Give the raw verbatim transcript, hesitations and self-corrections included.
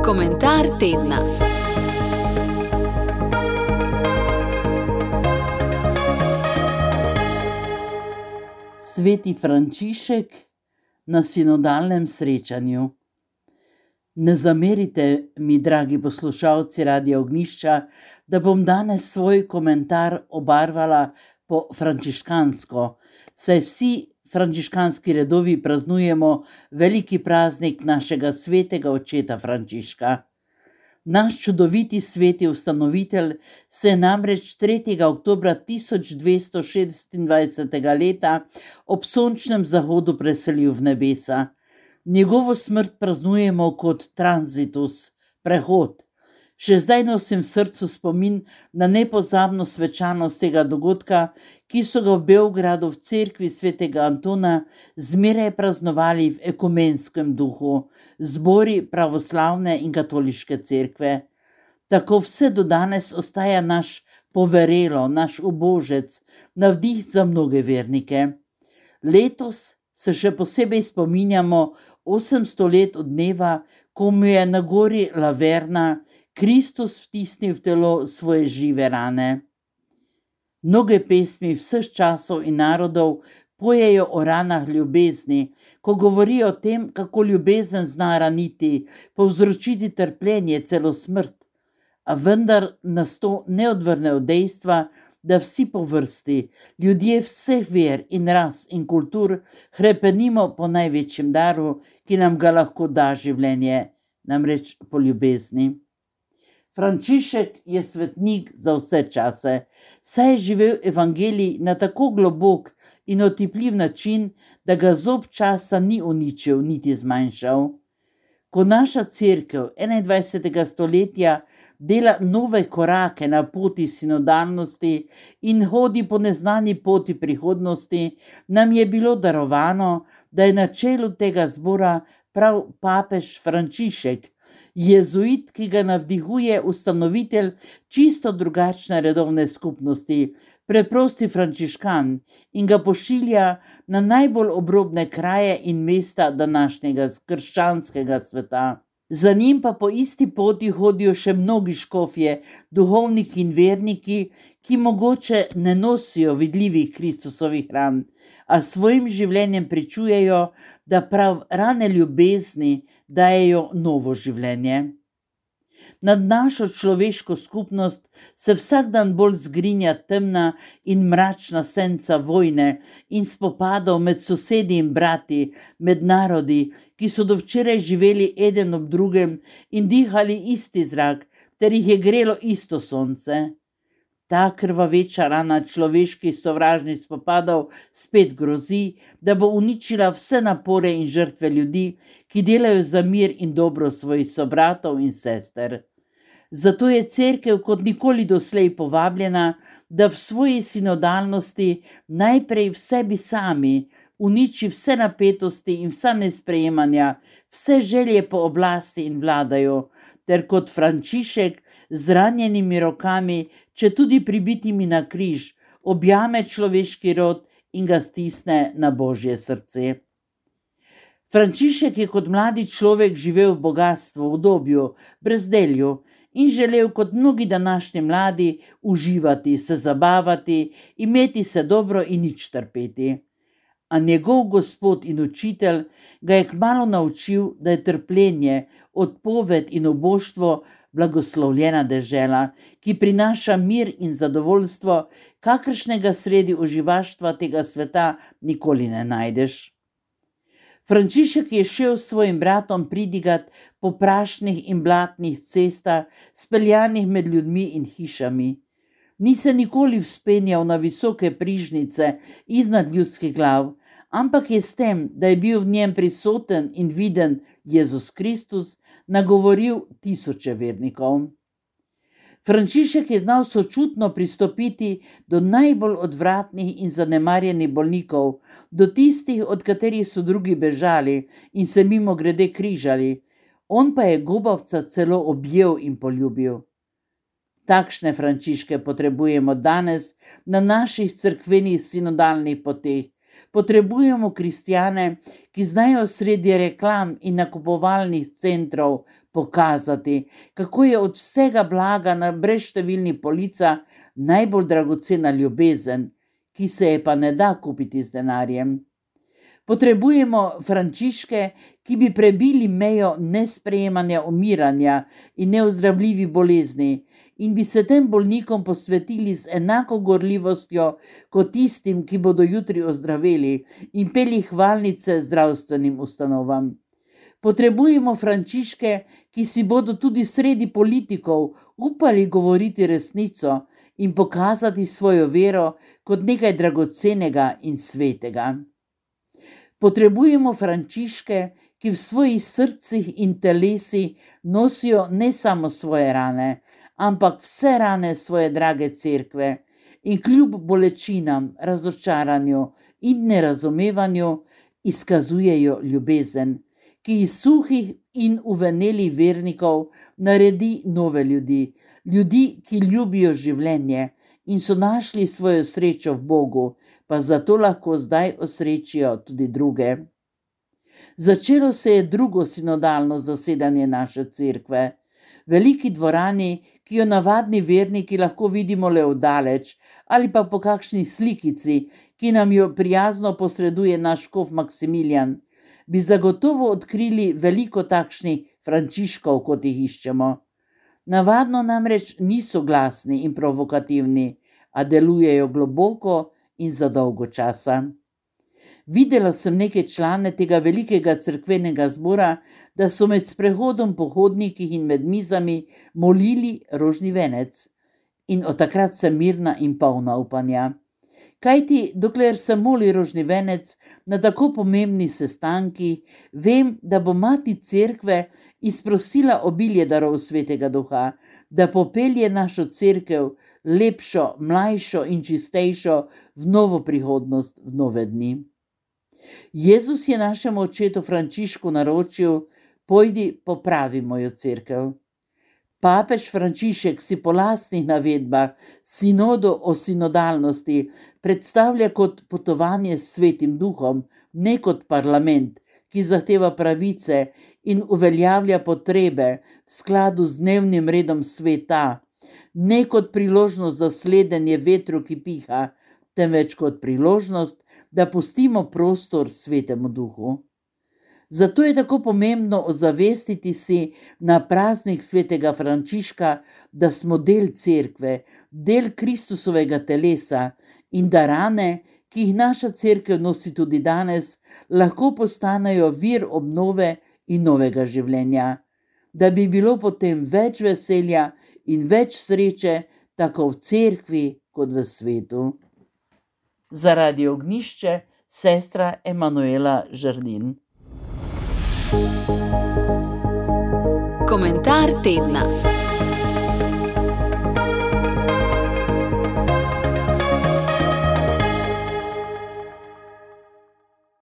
Komentar tedna. Sveti Frančišek na sinodalnem srečanju. Ne zamerite mi, dragi poslušalci Radia Ognjišča, da bom danes svoj komentar obarvala po frančiškansko, saj vsi frančiškanski redovi praznujemo veliki praznik našega svetega očeta Frančiška. Naš čudoviti sveti ustanovitelj se je namreč tretjega oktobra tisoč dvesto šestindvajsetega leta ob sončnem zahodu preselil v nebesa. Njegovo smrt praznujemo kot transitus, prehod. Še zdaj nosim v srcu spomin na nepozabno svečanost tega dogodka, ki so ga v Beogradu v cerkvi svetega Antona zmeraj praznovali v ekumenskem duhu, zbori pravoslavne in katoliške cerkve. Tako vse do danes ostaja naš poverelo, naš ubožec, navdih za mnoge vernike. Letos se še posebej spominjamo osemsto let od dneva, ko mu je na gori Laverna Kristus vtisnil v telo svoje žive rane. Mnoge pesmi vseh časov in narodov pojejo o ranah ljubezni, ko govorijo o tem, kako ljubezen zna raniti, povzročiti trpljenje, celo smrt. A vendar nas to ne odvrne od dejstva, da vsi po vrsti, ljudje vseh ver in ras in kultur, hrepenimo po največjem daru, ki nam ga lahko da življenje, namreč po ljubezni. Frančišek je svetnik za vse čase, saj je živel evangelij na tako globok in otipljiv način, da ga zob časa ni uničil niti zmanjšal. Ko naša cerkev enaindvajsetega stoletja dela nove korake na poti sinodalnosti in hodi po neznani poti prihodnosti, nam je bilo darovano, da je na čelu tega zbora prav papež Frančišek, jezuit, ki ga navdihuje ustanovitelj čisto drugačne redovne skupnosti, preprosti frančiškan, in ga pošilja na najbolj obrobne kraje in mesta današnjega krščanskega sveta. Za njim pa po isti poti hodijo še mnogi škofje, duhovniki in verniki, ki mogoče ne nosijo vidljivih Kristusovih ran, a svojim življenjem pričujejo, da prav rane ljubezni dajejo novo življenje. Nad našo človeško skupnost se vsak dan bolj zgrinja temna in mračna senca vojne in spopadov med sosedi in brati, med narodi, ki so do včeraj živeli eden ob drugem in dihali isti zrak, ter jih je grelo isto sonce. Ta krvaveča rana človeških sovražnih spopadov spet grozi, da bo uničila vse napore in žrtve ljudi, ki delajo za mir in dobro svojih sobratov in sester. Zato je cerkev kot nikoli doslej povabljena, da v svoji sinodalnosti najprej v sebi sami uniči vse napetosti in vsa nesprejemanja, vse želje po oblasti in vladaju, ter kot Frančišek z ranjenimi rokami, če tudi pribitimi na križ, objame človeški rod in ga stisne na Božje srce. Frančišek je kot mladi človek živel v bogastvu, v udobju, brezdelju in želel kot mnogi današnji mladi uživati, se zabavati, imeti se dobro in nič trpeti. A njegov gospod in učitelj ga je kmalu naučil, da je trpljenje, odpoved in oboštvo blagoslovljena dežela, ki prinaša mir in zadovoljstvo, kakršnega sredi uživaštva tega sveta nikoli ne najdeš. Frančišek je šel s svojim bratom pridigat po prašnih in blatnih cestah, speljanih med ljudmi in hišami. Ni se nikoli vzpenjal na visoke prižnice iznad ljudskih glav, ampak je s tem, da je bil v njem prisoten in viden Jezus Kristus, nagovoril tisoče vernikov. Frančišek je znal sočutno pristopiti do najbolj odvratnih in zanemarjenih bolnikov, do tistih, od katerih so drugi bežali in se mimogrede križali. On pa je gubavca celo objel in poljubil. Takšne Frančiške potrebujemo danes na naših cerkvenih sinodalnih poteh, Potrebujemo kristjane, ki znajo sredi reklam in nakupovalnih centrov pokazati, kako je od vsega blaga na brezštevilni polica najbolj dragocena ljubezen, ki se je pa ne da kupiti z denarjem. Potrebujemo Frančiške, ki bi prebili mejo nesprejemanja umiranja in neozdravljivi bolezni in bi se tem bolnikom posvetili z enako gorljivostjo kot tistim, ki bodo jutri ozdraveli in peli hvalnice zdravstvenim ustanovam. Potrebujemo Frančiške, ki si bodo tudi sredi politikov upali govoriti resnico in pokazati svojo vero kot nekaj dragocenega in svetega. Potrebujemo Frančiške, ki v svojih srcih in telesi nosijo ne samo svoje rane, ampak vse rane svoje drage cerkve in kljub bolečinam, razočaranju in nerazumevanju izkazujejo ljubezen, ki iz suhih in uvenelih vernikov naredi nove ljudi, ljudi, ki ljubijo življenje in so našli svojo srečo v Bogu, pa zato lahko zdaj osrečijo tudi druge. Začelo se je drugo sinodalno zasedanje naše cerkve. Veliki dvorani, ki jo navadni verniki lahko vidimo le oddaleč, ali pa po kakšni slikici, ki nam jo prijazno posreduje naš škof Maksimilijan, bi zagotovo odkrili veliko takšnih Frančiškov, kot jih iščemo. Navadno namreč niso glasni in provokativni, a delujejo globoko in za dolgo časa. Videla sem neke člane tega velikega cerkvenega zbora, da so med sprehodom po hodnikih in med mizami molili rožni venec. In od takrat sem mirna in polna upanja. Kajti, dokler se moli rožni venec na tako pomembni sestanki, vem, da bo mati cerkve izprosila obilje darov svetega duha, da popelje našo cerkev lepšo, mlajšo in čistejšo v novo prihodnost, v nove dni. Jezus je našemu očetu Frančišku naročil: pojdi, popravi mojo cerkev. Papež Frančišek si po lastnih navedbah sinodo o sinodalnosti predstavlja kot potovanje s svetim duhom, ne kot parlament, ki zahteva pravice in uveljavlja potrebe v skladu z dnevnim redom sveta, ne kot priložnost za sledenje vetru, ki piha, temveč kot priložnost, da pustimo prostor svetemu duhu. Zato je tako pomembno ozavestiti si na praznik svetega Frančiška, da smo del cerkve, del Kristusovega telesa in da rane, ki jih naša cerkev nosi tudi danes, lahko postanejo vir obnove in novega življenja, da bi bilo potem več veselja in več sreče, tako v cerkvi kot v svetu. Zaradi Ognjišče, sestra Emanuela Žerdin. Komentar tedna.